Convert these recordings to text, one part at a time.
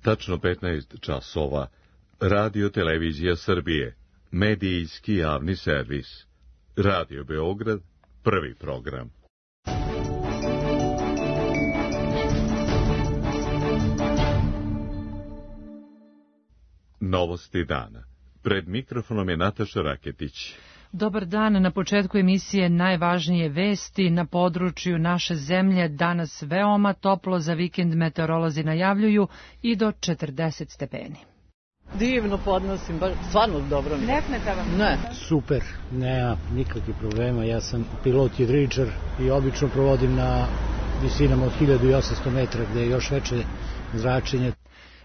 Tačno 15 časova. Radio Televizija Srbije. Medijski javni servis. Radio Beograd. Prvi program. Novosti dana. Pred mikrofonom je Nataša Raketić. Dobar dan, na početku emisije najvažnije vesti. Na području naše zemlje danas veoma toplo, za vikend meteorolozi najavljuju i do 40 stepeni. Divno podnosim, stvarno dobro mi. Ne smeta vam? Ne. Super, nema nikakvih problema, ja sam pilot jedričar i obično provodim na visinama od 1800 metra gde je još veće zračenje.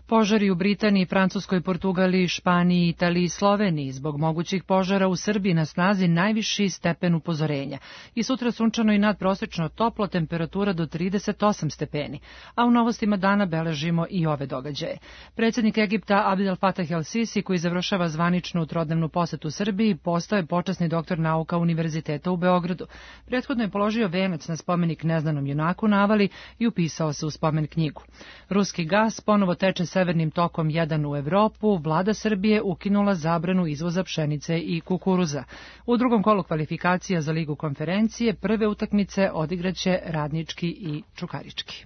Požari u Britaniji, Francuskoj, Portugaliji, Španiji, Italiji i Sloveniji. Zbog mogućih požara u Srbiji na snazi najviši stepen upozorenja. I sutra sunčano i nadprosečno toplo, temperatura do 38 stepeni. A u novostima dana beležimo i ove događaje. Predsjednik Egipta Abdel Fattah el-Sisi, koji završava zvaničnu trodnevnu posetu Srbiji, postao je počasni doktor nauka Univerziteta u Beogradu. Prethodno je položio venac na spomenik neznanom junaku na Avali i upisao se u spomen knjigu. Ruski gas ponovo teče severnim tokom 1 u Evropu. Vlada Srbije ukinula zabranu izvoza pšenice i kukuruza. U drugom kolu kvalifikacija za Ligu konferencije prve utakmice odigraće Radnički i Čukarički.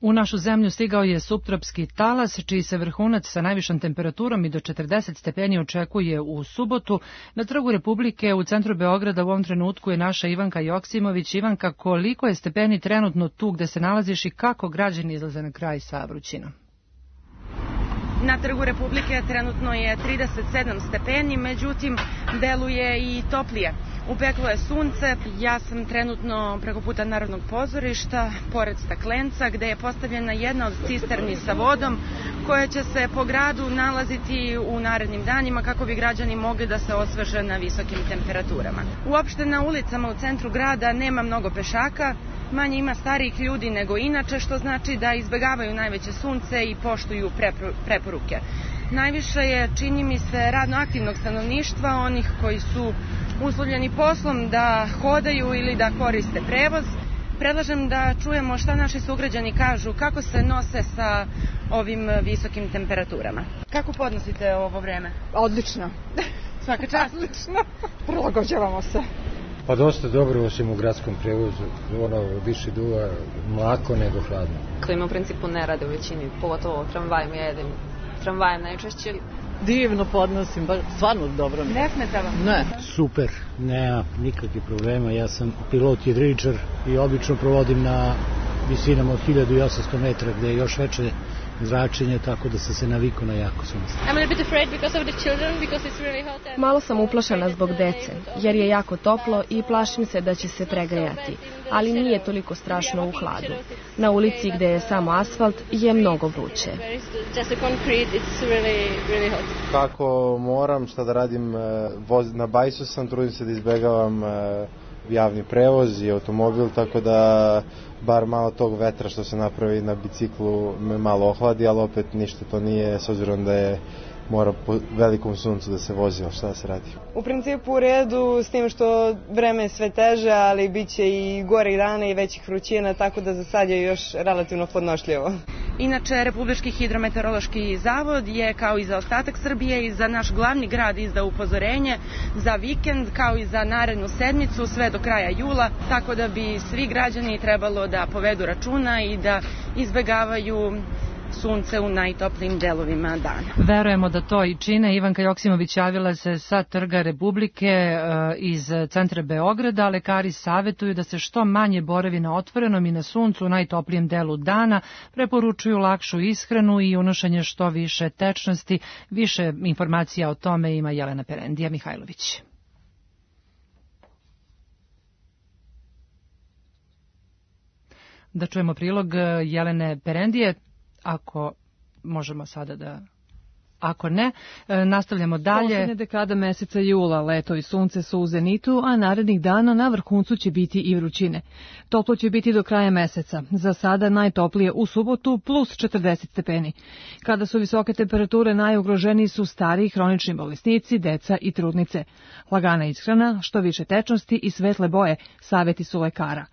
U našu zemlju stigao je suptropski talas, čiji se vrhunac sa najvišom temperaturom i do 40 stepeni očekuje u subotu. Na Trgu Republike u centru Beograda u ovom trenutku je naša Ivanka Joksimović. Ivanka, koliko je stepeni trenutno tu gde se nalaziš i kako građani izlaze na kraj sa vrućinom? Na Trgu Republike trenutno je 37 stepeni, međutim deluje i toplije. Upeklo je sunce, ja sam trenutno preko puta Narodnog pozorišta, pored staklenca, gde je postavljena jedna od cisterni sa vodom, koja će se po gradu nalaziti u narednim danima kako bi građani mogli da se osveže na visokim temperaturama. Uopšte na ulicama u centru grada nema mnogo pešaka, manje ima starijih ljudi nego inače, što znači da izbegavaju najveće sunce i poštuju preporuke. Najviše je, čini mi se, radno aktivnog stanovništva, onih koji su uslovljeni poslom da hodaju ili da koriste prevoz. Predlažem da čujemo šta naši sugrađani kažu, kako se nose sa ovim visokim temperaturama. Kako podnosite ovo vreme? Odlično. Svaka čast. Odlično. Prilagođavamo se. Pa dosta dobro, osim u gradskom prevozu, više duva mlako nego hladno. Klima u principu ne rade u većini, pogotovo tramvajem, ja jedem tramvajem najčešće. Divno podnosim, stvarno dobro mi. Ne smeta vam? Ne. Super, nema nikakvih problema, ja sam pilot jedričar i obično provodim na visinama od 1800 metra gde je još veće zračenje, tako da sam se navikao na jako sunce. Malo sam uplašena zbog dece, jer je jako toplo i plašim se da će se pregrejati, ali nije toliko strašno u hladu. Na ulici gde je samo asfalt je mnogo vruće. Kako moram, šta da radim, na bajsu sam, trudim se da izbegavam javni prevoz i automobil, tako da bar malo tog vetra što se napravi na biciklu me malo ohladi, ali opet ništa to nije, s obzirom da je mora po velikom suncu da se vozi, ali šta da se radi. U principu u redu, s tim što vreme je sve teže, ali bit će i gore dana i većih vrućina, tako da za sad je još relativno podnošljivo. Inače, Republički hidrometeorološki zavod je, kao i za ostatak Srbije i za naš glavni grad, izdao upozorenje za vikend, kao i za narednu sedmicu, sve do kraja jula, tako da bi svi građani trebalo da povedu računa i da izbegavaju sunce u najtoplijim delovima dana. Verujemo da to i čine. Ivanka Joksimović javila se sa Trga Republike iz centra Beograda. Lekari savjetuju da se što manje boravi na otvorenom i na suncu u najtoplijem delu dana. Preporučuju lakšu ishranu i unošenje što više tečnosti. Više informacija o tome ima Jelena Perendija Mihajlović. Da čujemo prilog Jelene Perendije. Ako možemo sada da... Ako ne, nastavljamo dalje. Poslednja dekada meseca jula, leto i sunce su u zenitu, a narednih dana na vrhuncu će biti i vrućine. Toplo će biti do kraja meseca. Za sada najtoplije u subotu plus 40 stepeni. Kada su visoke temperature, najugroženiji su stariji hronični bolesnici, deca i trudnice. Lagana ishrana, što više tečnosti i svetle boje, savjeti su lekara.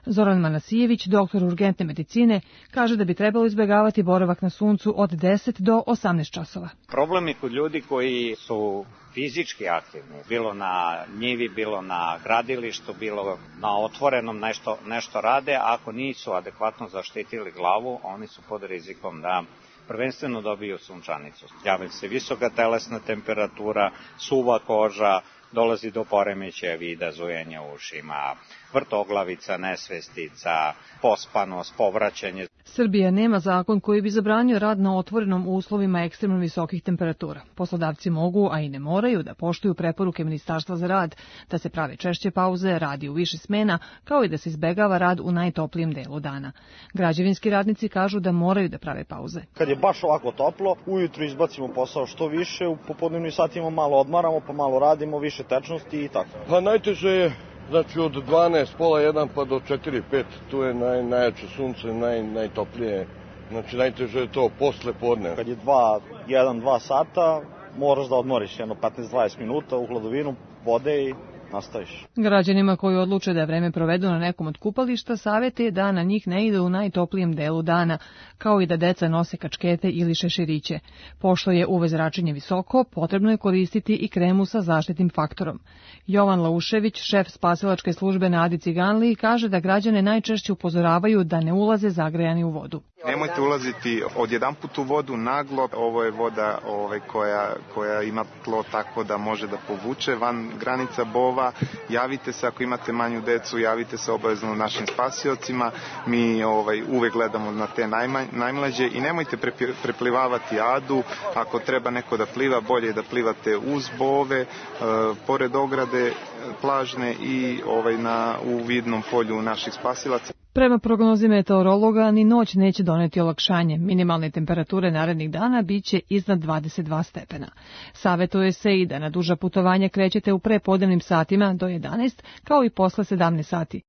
Zoran Manasijević, doktor urgentne medicine, kaže da bi trebalo izbjegavati boravak na suncu od 10 do 18 časova. Problem je kod ljudi koji su fizički aktivni, bilo na njivi, bilo na gradilištu, bilo na otvorenom nešto rade, ako nisu adekvatno zaštitili glavu, oni su pod rizikom da prvenstveno dobiju sunčanicu. Javlja se visoka telesna temperatura, suva koža, dolazi do poremećaja vida, zujenja u ušima, vrtoglavica, nesvestica, pospanost, povraćanje. Srbija nema zakon koji bi zabranio rad na otvorenom u uslovima ekstremno visokih temperatura. Poslodavci mogu, a i ne moraju, da poštuju preporuke Ministarstva za rad, da se prave češće pauze, radi u više smena, kao i da se izbegava rad u najtoplijem delu dana. Građevinski radnici kažu da moraju da prave pauze. Kad je baš ovako toplo, ujutru izbacimo posao što više, u popodnevnim satima malo odmaramo, pa malo radimo, više tečnosti i tako. Pa najteže je, znači od 12, pola 1 pa do 4, 5, tu je najjače sunce, najtoplije. Znači najteže je to posle podne. Kad je 1-2 sata, moraš da odmoriš jedno 15-20 minuta u hladovinu vode i nastaviš. Građanima koji odluče da vreme provedu na nekom od kupališta savjet je da na njih ne ide u najtoplijem delu dana, kao i da deca nose kačkete ili šeširiće. Pošto je UV zračenje visoko, potrebno je koristiti i kremu sa zaštitnim faktorom. Jovan Laušević, šef spasilačke službe na Adi Ciganliji, kaže da građane najčešće upozoravaju da ne ulaze zagrejani u vodu. Nemojte ulaziti odjedanput u vodu naglo, ovo je voda koja ima tlo tako da može da povuče van granica bova. Javite se ako imate manju decu, javite se obavezno našim spasiocima, mi uvek gledamo na te najmlađe i nemojte preplivavati Adu, ako treba neko da pliva, bolje da plivate uz bove, pored ograde plažne i u vidnom polju naših spasilaca. Prema prognozi meteorologa, ni noć neće doneti olakšanje. Minimalne temperature narednih dana biće iznad 22 stepena. Savetuje se i da na duža putovanja krećete u prepodnevnim satima do 11, kao i posle 17 sati.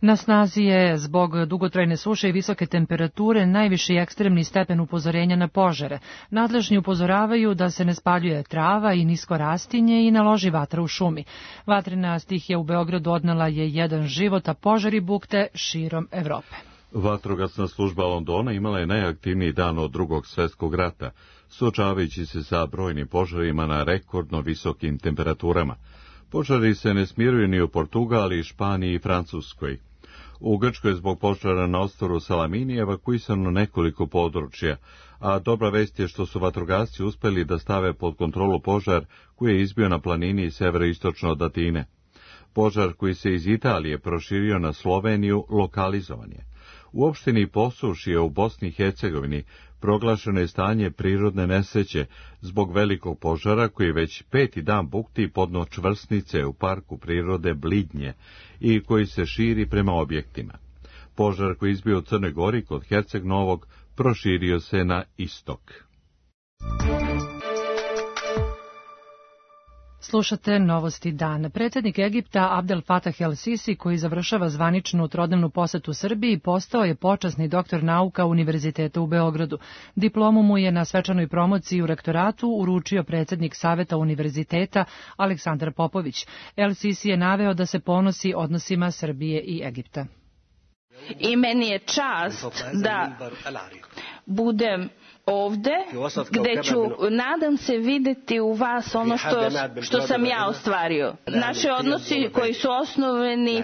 Na snazi je zbog dugotrajne suše i visoke temperature najviši ekstremni stepen upozorenja na požare. Nadležni upozoravaju da se ne spaljuje trava i nisko rastinje i naloži vatra u šumi. Vatrena stihija u Beogradu odnela je jedan život, a požari bukte širom Evrope. Vatrogasna služba Londona imala je najaktivniji dan od Drugog svjetskog rata, suočavajući se sa brojnim požarima na rekordno visokim temperaturama. Požari se ne smiruju ni u Portugali, Španiji i Francuskoj. U Grčkoj je zbog požara na ostrvu Salamini evakuisano nekoliko područja, a dobra vest je što su vatrogasci uspeli da stave pod kontrolu požar koji je izbio na planini severoistočno od Atine. Požar koji se iz Italije proširio na Sloveniju lokalizovan je. U opštini Posušje u Bosni i Hercegovini proglašeno je stanje prirodne nesreće zbog velikog požara koji već 5. dan bukti podno čvrsnice u parku prirode Blidnje i koji se širi prema objektima. Požar koji izbio u Crnoj Gori kod Herceg Novog proširio se na istok. Slušate Novosti dana. Predsjednik Egipta Abdel Fattah el-Sisi, koji završava zvaničnu trodnevnu posetu Srbiji, postao je počasni doktor nauka Univerziteta u Beogradu. Diplomu mu je na svečanoj promociji u rektoratu uručio predsjednik Saveta univerziteta Aleksandar Popović. El-Sisi je naveo da se ponosi odnosima Srbije i Egipta. I meni je čast da budem ovde, gde ću, nadam se, videti u vas ono što sam ja ostvario. Naši odnosi koji su osnoveni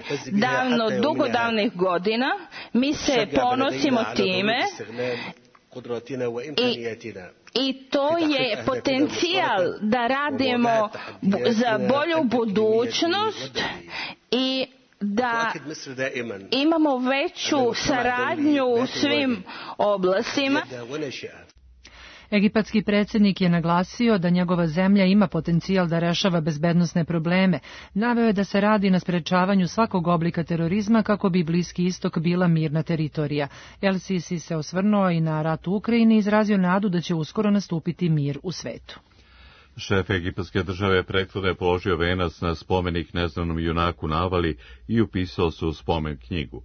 dugo davnih godina, mi se ponosimo time i to je potencijal da radimo za bolju budućnost i da imamo veću saradnju u svim oblastima. Egipatski predsjednik je naglasio da njegova zemlja ima potencijal da rešava bezbednosne probleme. Naveo je da se radi na sprečavanju svakog oblika terorizma kako bi Bliski istok bila mirna teritorija. El-Sisi se osvrnuo i na rat u Ukrajini i izrazio nadu da će uskoro nastupiti mir u svetu. Šef egipatske države prethodno je položio venac na spomenik neznanom junaku Navali i upisao se u spomen knjigu.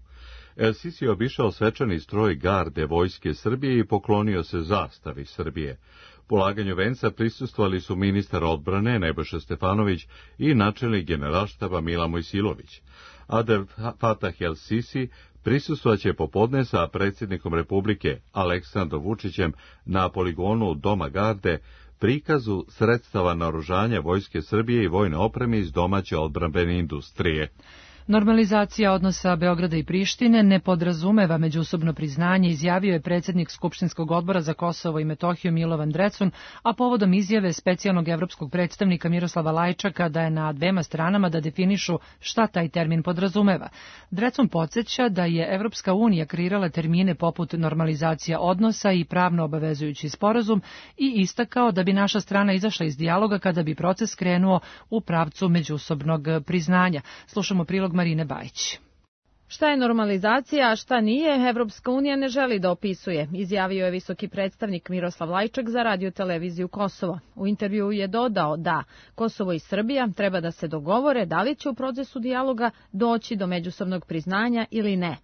El-Sisi je obišao svečani stroj garde vojske Srbije i poklonio se zastavi Srbije. Polaganju venca prisustvovali su ministar odbrane Nebojša Stefanović i načelnik generalštaba Mila Mojsilović. Abdel Fatah el-Sisi prisustvovaće popodne sa predsjednikom Republike Aleksandrom Vučićem na poligonu Doma garde prikazu sredstava naoružanja Vojske Srbije i vojne opreme iz domaće odbrambene industrije. Normalizacija odnosa Beograda i Prištine ne podrazumeva međusobno priznanje, izjavio je predsjednik Skupštinskog odbora za Kosovo i Metohiju Milovan Drecun, a povodom izjave specijalnog evropskog predstavnika Miroslava Lajčaka da je na dvema stranama da definišu šta taj termin podrazumeva. Drecun podsjeća da je Evropska unija kreirala termine poput normalizacija odnosa i pravno obavezujući sporazum i istakao da bi naša strana izašla iz dijaloga kada bi proces krenuo u pravcu međusobnog priznanja. Slušamo prilog Marine Bajić. Šta je normalizacija, a šta nije, Evropska unija ne želi da opisuje, izjavio je visoki predstavnik Miroslav Lajčak za radio-televiziju Kosovo. U intervjuu je dodao da Kosovo i Srbija treba da se dogovore da li će u procesu dijaloga doći do međusobnog priznanja ili ne.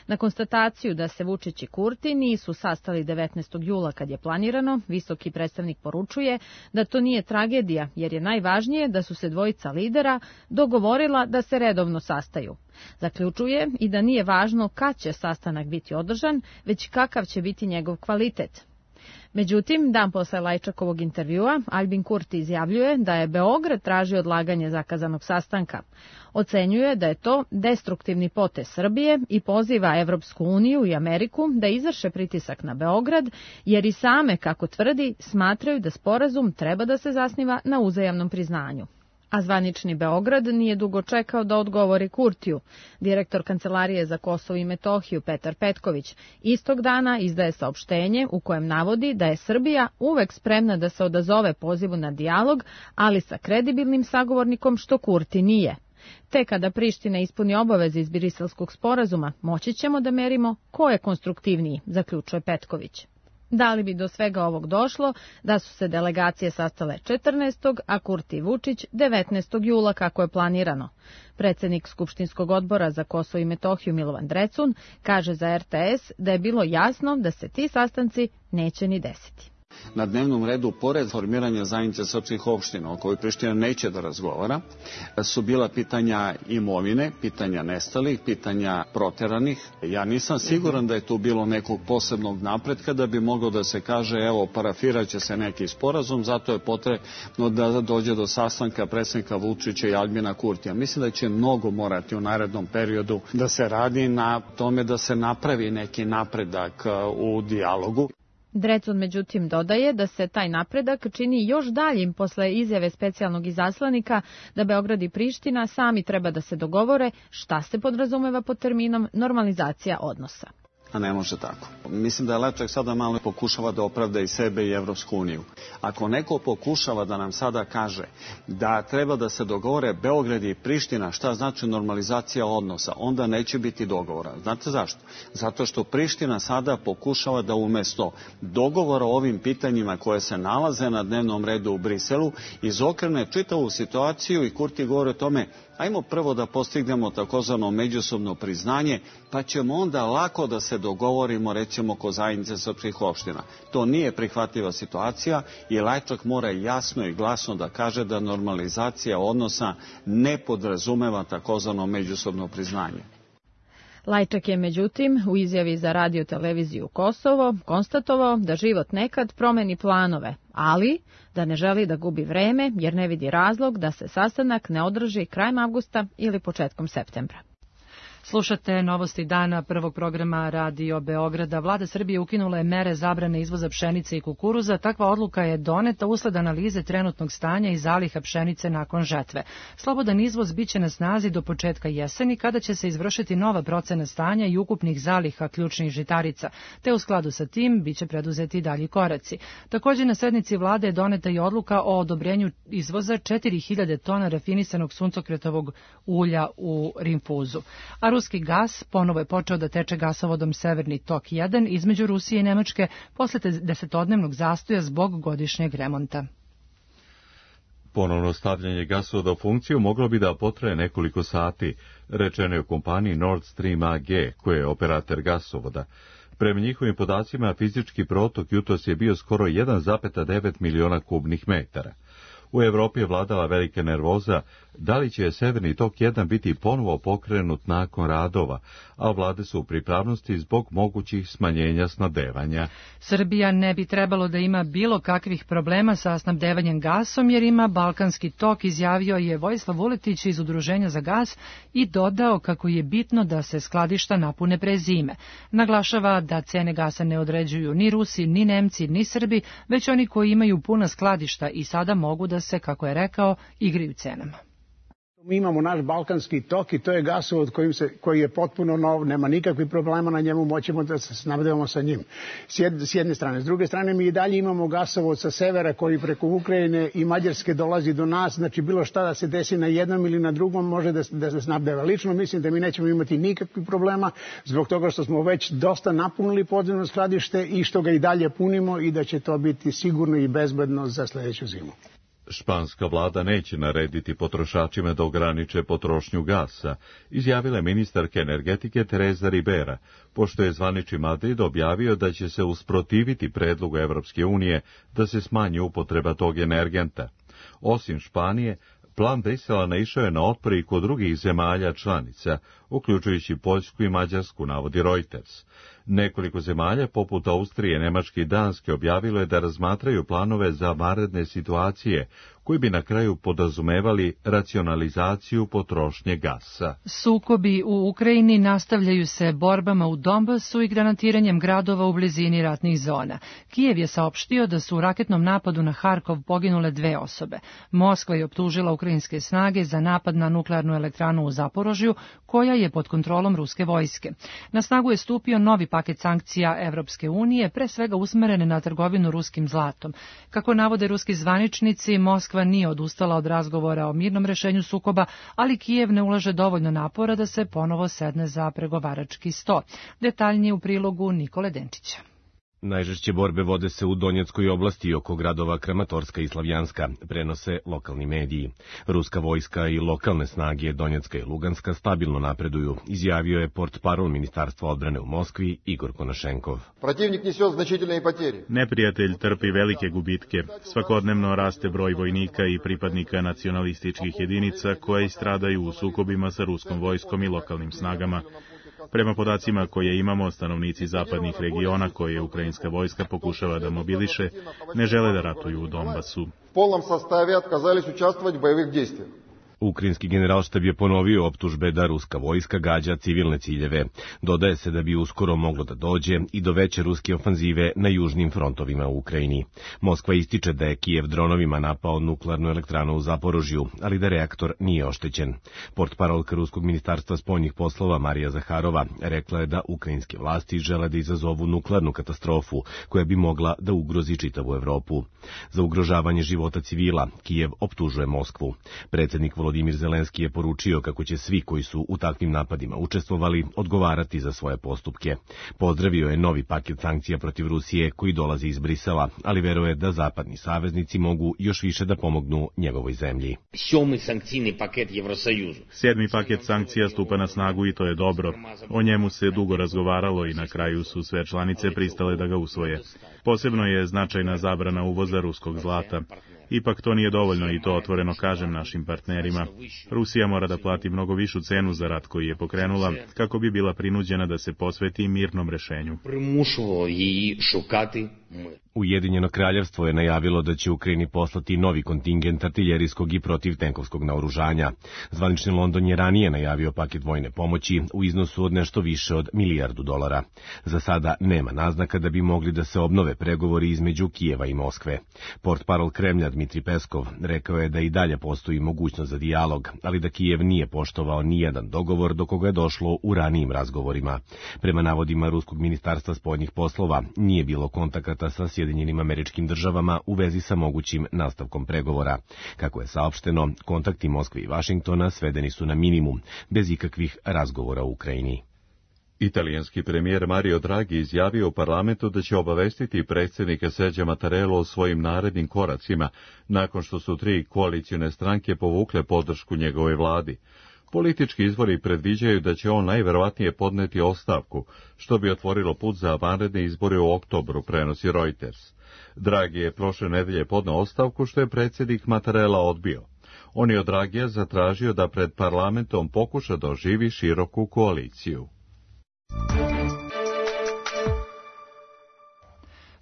Na konstataciju da se Vučić i Kurti nisu sastali 19. jula kad je planirano, visoki predstavnik poručuje da to nije tragedija, jer je najvažnije da su se dvojica lidera dogovorila da se redovno sastaju. Zaključuje i da nije važno kad će sastanak biti održan, već kakav će biti njegov kvalitet. Međutim, dan posle Lajčakovog intervjua, Albin Kurti izjavljuje da je Beograd tražio odlaganje zakazanog sastanka. Ocenjuje da je to destruktivni potez Srbije i poziva Evropsku uniju i Ameriku da izvrše pritisak na Beograd, jer i same, kako tvrdi, smatraju da sporazum treba da se zasniva na uzajamnom priznanju. A zvanični Beograd nije dugo čekao da odgovori Kurtiju. Direktor Kancelarije za Kosovo i Metohiju Petar Petković istog dana izdaje saopštenje u kojem navodi da je Srbija uvek spremna da se odazove pozivu na dijalog, ali sa kredibilnim sagovornikom što Kurti nije. Te kada Priština ispuni obaveze iz Briselskog sporazuma, moći ćemo da merimo ko je konstruktivniji, zaključuje Petković. Da li bi do svega ovog došlo da su se delegacije sastale 14. a Kurti i Vučić 19. jula kako je planirano? Predsjednik Skupštinskog odbora za Kosovo i Metohiju Milovan Drecun kaže za RTS da je bilo jasno da se ti sastanci neće ni desiti. Na dnevnom redu, pored formiranja zajednice srpskih opština, o kojoj Priština neće da razgovara, su bila pitanja imovine, pitanja nestalih, pitanja proteranih. Ja nisam siguran da je tu bilo nekog posebnog napretka da bi moglo da se kaže, evo, parafirat će se neki sporazum, zato je potrebno da dođe do sastanka predsjednika Vučića i Albina Kurtija. Mislim da će mnogo morati u narednom periodu da se radi na tome da se napravi neki napredak u dijalogu. Drecun međutim dodaje da se taj napredak čini još daljim posle izjave specijalnog izaslanika da Beograd i Priština sami treba da se dogovore šta se podrazumeva pod terminom normalizacija odnosa. A ne može tako. Mislim da je Lajčak sada malo pokušava da opravda i sebe i Evropsku uniju. Ako neko pokušava da nam sada kaže da treba da se dogovore Beograd i Priština šta znači normalizacija odnosa, onda neće biti dogovora. Znate zašto? Zato što Priština sada pokušava da umjesto dogovora o ovim pitanjima koje se nalaze na dnevnom redu u Briselu izokrene čitavu situaciju i Kurti govori o tome ajmo prvo da postignemo takozvano međusobno priznanje, pa ćemo onda lako da se dogovorimo, recimo, ko zajednice srpskih opština. To nije prihvatljiva situacija i Lajčak mora jasno i glasno da kaže da normalizacija odnosa ne podrazumeva takozvano međusobno priznanje. Lajčak je međutim u izjavi za radio-televiziju Kosovo konstatovao da život nekad promeni planove, ali da ne želi da gubi vreme jer ne vidi razlog da se sastanak ne održi krajem avgusta ili početkom septembra. Slušate novosti dana prvog programa Radio Beograda. Vlada Srbije ukinula je mere zabrane izvoza pšenice i kukuruza. Takva odluka je doneta usled analize trenutnog stanja i zaliha pšenice nakon žetve. Slobodan izvoz biće na snazi do početka jeseni, kada će se izvršiti nova procena stanja i ukupnih zaliha ključnih žitarica, te u skladu sa tim biće preduzeti dalji koraci. Također na sednici vlade je doneta i odluka o odobrenju izvoza 4000 tona rafinisanog suncokretovog ulja u rinfuzu. A ruski gas ponovo je počeo da teče gasovodom Severni tok 1 između Rusije i Nemačke posle 10-dnevnog zastoja zbog godišnjeg remonta. Ponovno stavljanje gasovoda u funkciju moglo bi da potraje nekoliko sati, rečeno je u kompaniji Nord Stream AG, koja je operator gasovoda. Prema njihovim podacima, fizički protok jutros je bio skoro 1,9 miliona kubnih metara. U Evropi je vladala velika nervoza da li će Severni tok 1 biti ponovo pokrenut nakon radova, a vlade su u pripravnosti zbog mogućih smanjenja snabdevanja. Srbija ne bi trebalo da ima bilo kakvih problema sa snabdevanjem gasom jer ima Balkanski tok, izjavio je Vojislav Vuletić iz Udruženja za gas i dodao kako je bitno da se skladišta napune pre zime. Naglašava da cene gasa ne određuju ni Rusi, ni Nemci, ni Srbi, već oni koji imaju puna skladišta i sada mogu da se, kako je rekao, igraju cenama. Mi imamo naš Balkanski tok i to je gasovod koji je potpuno nov, nema nikakvih problema na njemu, moćemo da se snabdevamo sa njim. S jedne strane. S druge strane, mi i dalje imamo gasovod sa severa koji preko Ukrajine i Mađarske dolazi do nas, znači bilo šta da se desi na jednom ili na drugom može da se snabdeva. Lično mislim da mi nećemo imati nikakvih problema zbog toga što smo već dosta napunili podzemno skladište i što ga i dalje punimo i da će to biti sigurno i bezbedno za sljedeću zimu. Španska vlada neće narediti potrošačima da ograniče potrošnju gasa, izjavila je ministarka energetike Teresa Ribera, pošto je zvanični Madrid objavio da će se usprotiviti predlogu Evropske unije da se smanji upotreba tog energenta. Osim Španije, plan Brisela naišao je na otpor i kod drugih zemalja članica, uključujući Poljsku i Mađarsku, navodi Reuters. Nekoliko zemalja, poput Austrije, Nemačke i Danske, objavilo je da razmatraju planove za vanredne situacije, koji bi na kraju podrazumevali racionalizaciju potrošnje gasa. Sukobi u Ukrajini nastavljaju se borbama u Donbasu i granatiranjem gradova u blizini ratnih zona. Kijev je saopštio da su u raketnom napadu na Harkov poginule 2 osobe. Moskva je optužila ukrajinske snage za napad na nuklearnu elektranu u Zaporožju, koja je pod kontrolom ruske vojske. Na snagu je stupio novi paket sankcija Evropske unije, pre svega usmerene na trgovinu ruskim zlatom. Kako navode ruski zvaničnici, Moskva nije odustala od razgovora o mirnom rešenju sukoba, ali Kijev ne ulaže dovoljno napora da se ponovo sedne za pregovarački sto. Detaljnije u prilogu Nikole Denčića. Najžešće borbe vode se u Donjeckoj oblasti oko gradova Kramatorska i Slavjanska, prenose lokalni mediji. Ruska vojska i lokalne snage Donjecka i Luganska stabilno napreduju, izjavio je portparol Ministarstva odbrane u Moskvi Igor Konašenkov. Neprijatelj trpi velike gubitke. Svakodnevno raste broj vojnika i pripadnika nacionalističkih jedinica koje stradaju u sukobima sa ruskom vojskom i lokalnim snagama. Prema podacima koje imamo, stanovnici zapadnih regiona koje ukrajinska vojska pokušava da mobiliše, ne žele da ratuju u Donbasu. Ukrajinski generalštab je ponovio optužbe da ruska vojska gađa civilne ciljeve. Dodaje se da bi uskoro moglo da dođe i do veće ruske ofanzive na južnim frontovima u Ukrajini. Moskva ističe da je Kijev dronovima napao nuklearnu elektranu u Zaporožju, ali da reaktor nije oštećen. Portparolka Ruskog ministarstva spoljnih poslova Marija Zaharova rekla je da ukrajinske vlasti žele da izazovu nuklearnu katastrofu koja bi mogla da ugrozi čitavu Evropu. Za ugrožavanje života civila Kijev optužuje Moskvu. Predsjednik Volodimir Zelenski je poručio kako će svi koji su u takvim napadima učestvovali odgovarati za svoje postupke. Pozdravio je novi paket sankcija protiv Rusije koji dolazi iz Brisela, ali veruje da zapadni saveznici mogu još više da pomognu njegovoj zemlji. 7. paket sankcija stupa na snagu i to je dobro. O njemu se dugo razgovaralo i na kraju su sve članice pristale da ga usvoje. Posebno je značajna zabrana uvoza ruskog zlata. Ipak to nije dovoljno i to otvoreno kažem našim partnerima. Rusija mora da plati mnogo višu cenu za rat koji je pokrenula kako bi bila prinuđena da se posveti mirnom rešenju. Ujedinjeno kraljevstvo je najavilo da će Ukrajini poslati novi kontingent artiljerijskog i protivtenkovskog naoružanja. Zvanični London je ranije najavio paket vojne pomoći u iznosu od nešto više od $1 milijardu. Za sada nema naznaka da bi mogli da se obnove pregovori između Kijeva i Moskve. Portparol Kremlja Dmitri Peskov rekao je da i dalje postoji mogućnost za dijalog, ali da Kijev nije poštovao ni jedan dogovor do koga je došlo u ranijim razgovorima. Prema navodima Ruskog ministarstva spoljnih poslova, nije bilo kontakata sa Sjedinjenim Američkim Državama u vezi sa mogućim nastavkom pregovora. Kako je saopšteno, kontakti Moskve i Vašingtona svedeni su na minimum, bez ikakvih razgovora u Ukrajini. Italijanski premijer Mario Draghi izjavio u parlamentu da će obavestiti predsjednika Sergio Mattarello o svojim narednim koracima, nakon što su 3 koalicione stranke povukle podršku njegovoj vladi. Politički izvori predviđaju da će on najverovatnije podneti ostavku, što bi otvorilo put za vanredne izbore u oktobru, prenosi Reuters. Draghi je prošle nedelje podneo ostavku, što je predsjednik Mattarella odbio. On je od Draghija zatražio da pred parlamentom pokuša da oživi široku koaliciju.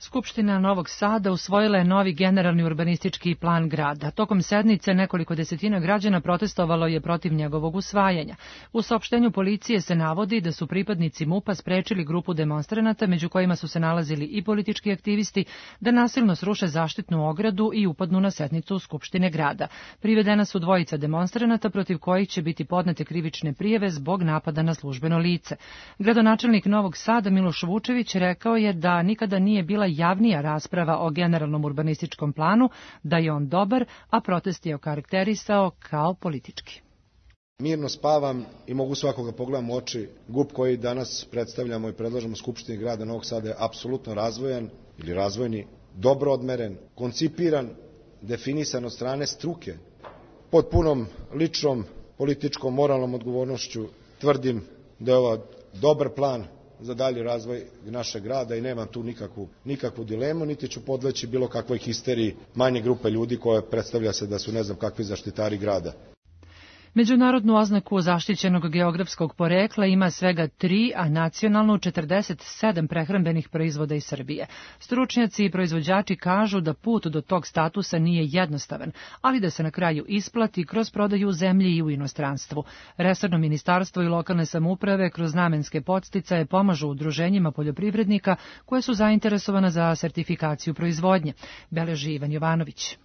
Skupština Novog Sada usvojila je novi generalni urbanistički plan grada. Tokom sednice nekoliko desetina građana protestovalo je protiv njegovog usvajanja. U saopštenju policije se navodi da su pripadnici MUP-a sprečili grupu demonstranata, među kojima su se nalazili i politički aktivisti, da nasilno sruše zaštitnu ogradu i upadnu na sednicu Skupštine grada. Privedena su dvojica demonstranata protiv kojih će biti podnete krivične prijave zbog napada na službeno lice. Gradonačelnik Novog Sada Miloš Vučević rekao je da nikada nije bila javnija rasprava o generalnom urbanističkom planu, da je on dobar, a protest je okarakterisao kao politički. Mirno spavam i mogu svakoga pogledam u oči. GUP koji danas predstavljamo i predlažemo Skupštini grada Novog Sada je apsolutno razvojan ili razvojni, dobro odmeren, koncipiran, definisan od strane struke. Pod punom ličnom, političkom, moralnom odgovornošću tvrdim da je ovo dobar plan za dalji razvoj našeg grada i nemam tu nikakvu dilemu, niti ću podleći bilo kakvoj histeriji manje grupe ljudi koje predstavlja se da su ne znam kakvi zaštitari grada. Međunarodnu oznaku zaštićenog geografskog porekla ima svega 3, a nacionalnu 47 prehrambenih proizvoda iz Srbije. Stručnjaci i proizvođači kažu da put do tog statusa nije jednostavan, ali da se na kraju isplati kroz prodaju u zemlji i u inostranstvu. Resorno ministarstvo i lokalne samouprave kroz namenske podsticaje pomažu udruženjima poljoprivrednika koje su zainteresovana za sertifikaciju proizvodnje, beleži Ivan Jovanović.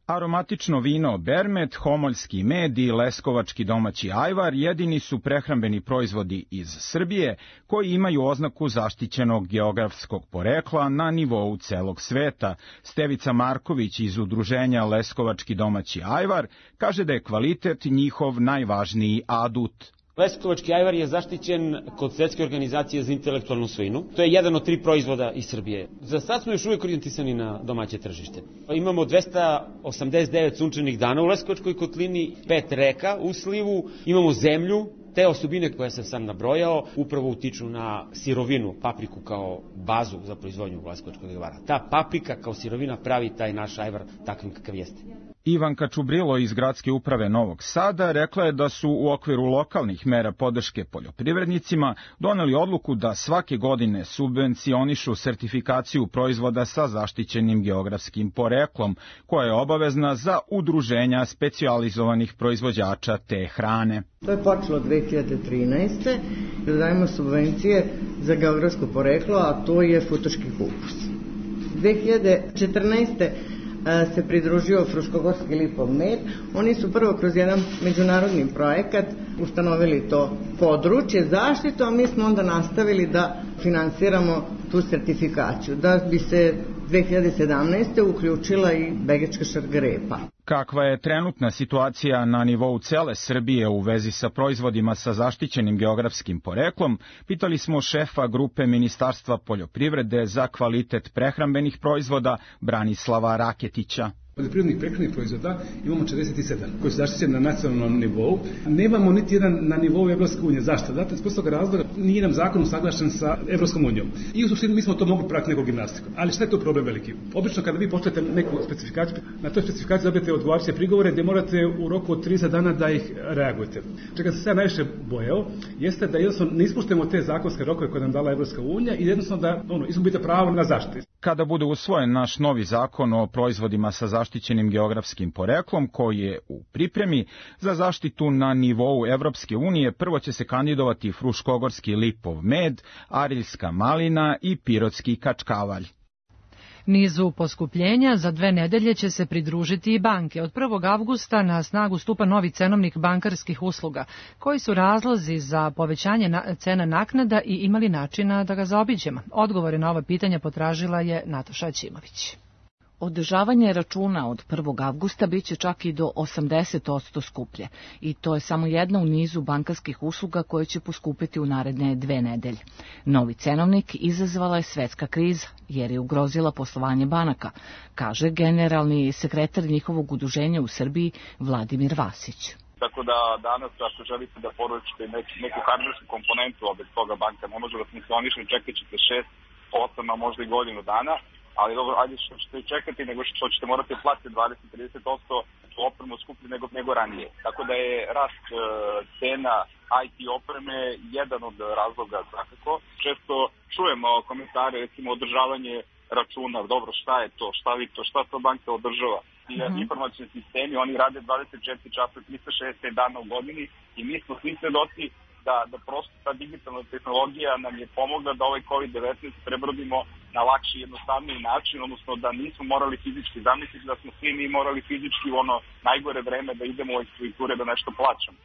Aromatično vino Bermet, homoljski med i leskovački domaći ajvar jedini su prehrambeni proizvodi iz Srbije koji imaju oznaku zaštićenog geografskog porekla na nivou celog sveta. Stevica Marković iz udruženja Leskovački domaći ajvar kaže da je kvalitet njihov najvažniji adut. Leskovački ajvar je zaštićen kod Svetske organizacije za intelektualnu svojinu. To je jedan od 3 proizvoda iz Srbije. Za sad smo još uvijek orijentisani na domaće tržište. Imamo 289 sunčanih dana u Leskovačkoj kotlini, 5 reka u slivu, imamo zemlju. Te osobine koje sam sam nabrojao upravo utiču na sirovinu, papriku kao bazu za proizvodnju leskovačkog ajvara. Ta paprika kao sirovina pravi taj naš ajvar takvim kakav jeste. Ivanka Čubrilo iz Gradske uprave Novog Sada rekla je da su u okviru lokalnih mera podrške poljoprivrednicima doneli odluku da svake godine subvencionišu sertifikaciju proizvoda sa zaštićenim geografskim poreklom, koja je obavezna za udruženja specijalizovanih proizvođača te hrane. To je počelo 2013. da dajemo subvencije za geografsko poreklo, a to je futoški kupus. 2014. se pridružio Fruškogorski lipov med. Oni su prvo kroz jedan međunarodni projekat ustanovili to područje zaštitu, a mi smo onda nastavili da finansiramo tu sertifikaciju, da bi se 2017. uključila i begečka šargarepa. Kakva je trenutna situacija na nivou cele Srbije u vezi sa proizvodima sa zaštićenim geografskim poreklom, pitali smo šefa grupe Ministarstva poljoprivrede za kvalitet prehrambenih proizvoda Branislava Raketića. Poljoprivrednih prehrambenih proizvoda imamo 47 koji su zaštićeni na nacionalnom nivou. Nemamo niti jedan na nivou Evropske unije. Zašto? Zato iz prostog razloga nije nam zakon usaglašen sa Evropskom unijom. I u suštini mi smo to mogli pratiti nekom gimnastikom. Ali šta je to problem veliki? Obično kada vi pošaljete neku specifikaciju, na toj specifikaciji dobijete odgovarajuće prigovore gdje morate u roku od 30 dana da ih reagujete. Čega se sad najviše bojao jeste da jednostavno ne ispuštujemo te zakonske rokove koje nam dala Evropska unija i jednostavno da izgubite pravo na zaštitu. Kada bude usvojen naš novi zakon o proizvodima sa zaštićenim geografskim poreklom koji je u pripremi za zaštitu na nivou Evropske unije, prvo će se kandidovati Fruškogorski lipov med, Ariljska malina i Pirotski kačkavalj. Nizu poskupljenja za 2 nedelje će se pridružiti i banke. Od 1. avgusta na snagu stupa novi cenovnik bankarskih usluga. Koji su razlozi za povećanje cena naknada i imali načina da ga zaobiđemo? Odgovore na ova pitanja potražila je Nataša Ćimović. Održavanje računa od 1. avgusta biće čak i do 80% skuplje i to je samo jedna u nizu bankarskih usluga koje će poskupiti u naredne 2 nedelje. Novi cenovnik izazvala je svetska kriza jer je ugrozila poslovanje banaka, kaže generalni sekretar njihovog udruženja u Srbiji Vladimir Vasić. Tako da danas, ako želite da poručite neku hardversku komponentu, bez toga banka ne može da funkcioniše, čekat ćete 6, 8, a možda i godinu dana, ali dobro, ajde što ćete čekati, nego što ćete morati platiti 20-30% opremu skuplju nego ranije. Tako da je rast cena IT opreme jedan od razloga svakako. Često čujemo komentare, recimo održavanje računa, dobro, šta je to, šta to banka održava. Informacioni sistemi, oni rade 24 časa, 360 dana u godini i mi smo svi svedoci da prosto ta digitalna tehnologija nam je pomogla da ovaj COVID-19 prebrodimo na lakši i jednostavniji način, odnosno da nismo morali fizički zamisliti, da smo svi mi morali fizički u ono najgore vreme da idemo u ekspediture da nešto plaćamo.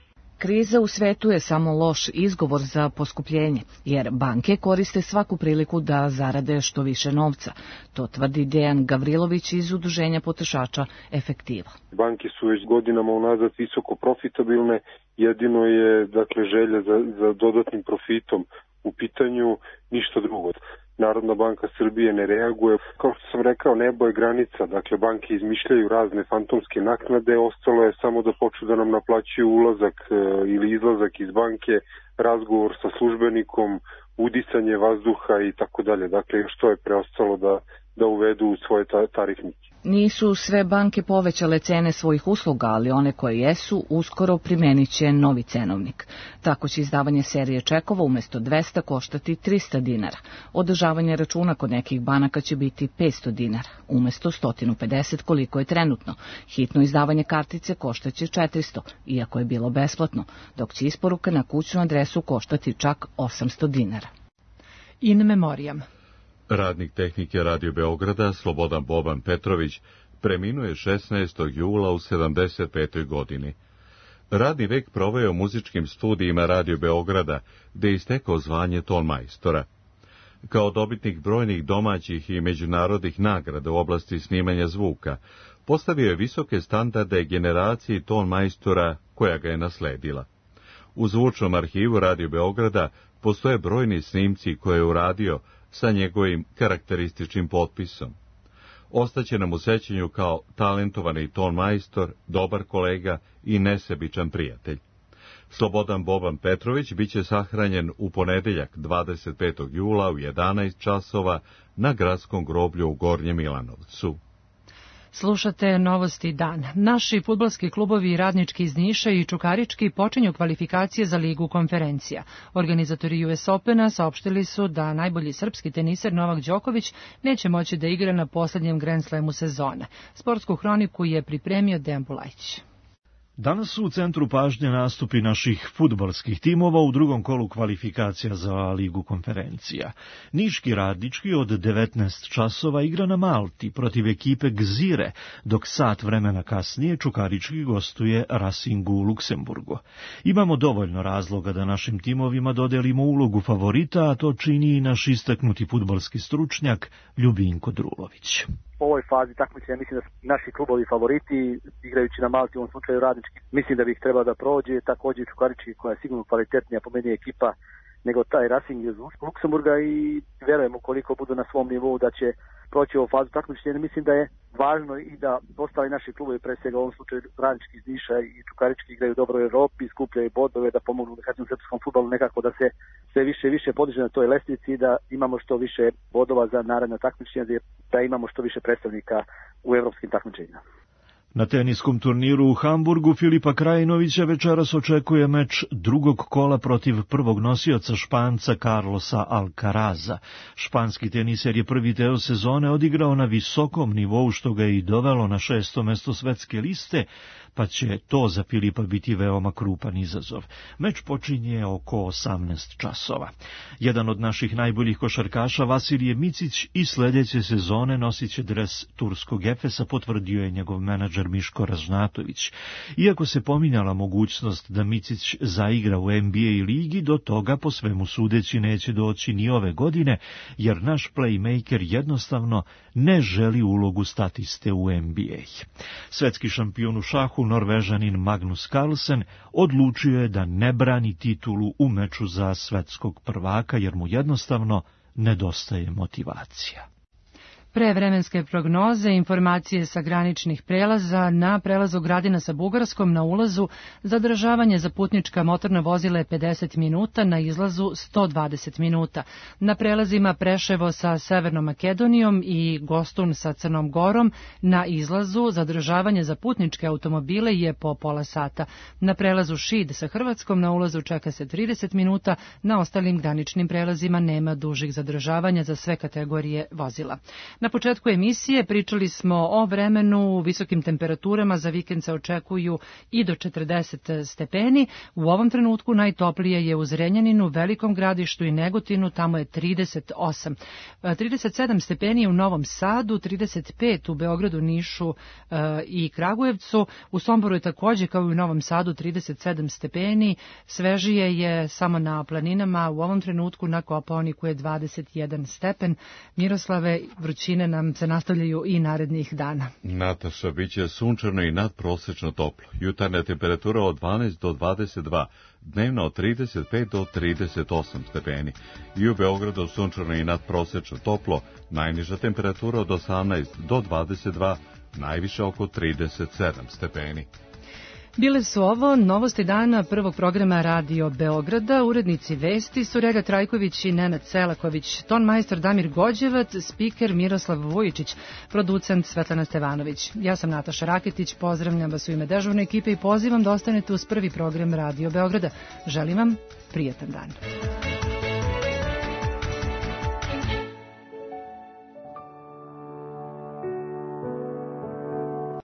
Kriza u svetu je samo loš izgovor za poskupljenje, jer banke koriste svaku priliku da zarade što više novca. To tvrdi Dejan Gavrilović iz Udruženja potrošača Efektiva. Banke su već godinama unazad visoko profitabilne, jedino je želja za dodatnim profitom u pitanju, ništa drugo. Narodna banka Srbije ne reaguje. Kao što sam rekao, nebo je granica. Banke izmišljaju razne fantomske naknade. Ostalo je samo da počnu da nam naplaćuju ulazak ili izlazak iz banke, razgovor sa službenikom, udisanje vazduha i tako dalje. Još to je preostalo da uvedu u svoje tarifnike. Nisu sve banke povećale cene svojih usluga, ali one koje jesu uskoro primenit će novi cenovnik. Tako će izdavanje serije čekova umjesto 200 koštati 300 dinara. Održavanje računa kod nekih banaka će biti 500 dinara, umjesto 150 koliko je trenutno. Hitno izdavanje kartice koštaće 400, iako je bilo besplatno, dok će isporuka na kućnu adresu koštati čak 800 dinara. In memoriam. Radnik tehnike Radio Beograda Slobodan Boban Petrović preminuo je 16. jula u 75. godini. Radni vek proveo u muzičkim studijima Radio Beograda, gde je istekao zvanje tonmajstora. Kao dobitnik brojnih domaćih i međunarodnih nagrada u oblasti snimanja zvuka, postavio je visoke standarde generaciji tonmajstora koja ga je nasledila. U zvučnom arhivu Radio Beograda postoje brojni snimci koje je uradio sa njegovim karakterističnim potpisom. Ostaće nam u sećanju kao talentovani tonmajstor, dobar kolega i nesebičan prijatelj. Slobodan Boban Petrović biće sahranjen u ponedeljak 25. jula u 11 časova na gradskom groblju u Gornjem Milanovcu. Slušate Novosti dan. Naši fudbalski klubovi Radnički iz Niša i Čukarički počinju kvalifikacije za Ligu konferencija. Organizatori US Opena saopštili su da najbolji srpski teniser Novak Đoković neće moći da igra na posljednjem Grand Slamu sezone. Sportsku hroniku je pripremio Dejan Bulajić. Danas su u centru pažnje nastupi naših fudbalskih timova u drugom kolu kvalifikacija za Ligu konferencija. Niški Radnički od 19 časova igra na Malti protiv ekipe Gzire, dok sat vremena kasnije Čukarički gostuje Racingu u Luksemburgu. Imamo dovoljno razloga da našim timovima dodelimo ulogu favorita, a to čini i naš istaknuti fudbalski stručnjak Ljubinko Drulović. U ovoj fazi takmičenja mislim da su naši klubovi favoriti, igrajući na Malti, u ovom slučaju Radnički. Mislim da bi ih trebalo da prođe, također Čukarički koja je sigurno kvalitetnija po meni ekipa nego taj Racing iz Luksemburga i verujem ukoliko budu na svom nivou da će proći ovu fazu takmičenja. Mislim da je važno i da ostali naši klubovi, pre svega u ovom slučaju Radnički iz Niša i Čukarički igraju dobro u Europi, skupljaju bodove, da pomognu u srpskom fudbalu nekako da se sve više i više podiže na toj lestvici i da imamo što više bodova za naredna takmičenja, da imamo što više predstavnika u evropskim takmičenjima. Na teniskom turniru u Hamburgu Filipa Krajinovića večeras očekuje meč drugog kola protiv prvog nosioca Španca Carlosa Alcaraza. Španski teniser je prvi deo sezone odigrao na visokom nivou, što ga je i dovelo na 6. mesto svetske liste, pa će to za Filipa biti veoma krupan izazov. Meč počinje oko 18 časova. Jedan od naših najboljih košarkaša, Vasilije Micić, i sljedeće sezone nosit će dres turskog Efesa, potvrdio je njegov menadžer Miško Ražnatović. Iako se pominjala mogućnost da Micić zaigra u NBA ligi, do toga po svemu sudeći neće doći ni ove godine, jer naš playmaker jednostavno ne želi ulogu statiste u NBA. Svetski šampion u šahu Norvežanin Magnus Carlsen odlučio je da ne brani titulu u meču za svetskog prvaka, jer mu jednostavno nedostaje motivacija. Pre vremenske prognoze, informacije sa graničnih prelaza, na prelazu Gradina sa Bugarskom na ulazu zadržavanje za putnička motorna vozila je 50 minuta, na izlazu 120 minuta. Na prelazima Preševo sa Severnom Makedonijom i Gostun sa Crnom Gorom na izlazu zadržavanje za putničke automobile je po pola sata. Na prelazu Šid sa Hrvatskom na ulazu čeka se 30 minuta, na ostalim graničnim prelazima nema dužih zadržavanja za sve kategorije vozila. Na početku emisije pričali smo o vremenu, visokim temperaturama, za vikend se očekuju i do 40 stepeni. U ovom trenutku najtoplije je u Zrenjaninu, Velikom Gradištu i Negotinu, tamo je 38. 37 stepeni u Novom Sadu, 35 u Beogradu, Nišu i Kragujevcu. U Somboru je takođe kao i u Novom Sadu 37 stepeni. Svežije je samo na planinama, u ovom trenutku na Kopaoniku je 21 stepen. Miroslave, vrućine nam se nastavljaju i narednih dana. Nataša, bit će sunčano i nadprosečno toplo. Jutarnja temperatura od 12 do 22, dnevno od 35 do 38 stepeni. I u Beogradu sunčano i nadprosečno toplo, najniža temperatura od 18 do 22, najviše oko 37 stepeni. Bile su ovo novosti dana prvog programa Radio Beograda. Urednici vesti su Relja Trajković i Nenad Selaković, tonmajstor Damir Gođevac, spiker Miroslav Vujičić, producent Svetlana Stevanović. Ja sam Nataša Raketić, pozdravljam vas u ime dežurne ekipe i pozivam da ostanete uz prvi program Radio Beograda. Želim vam prijatan dan.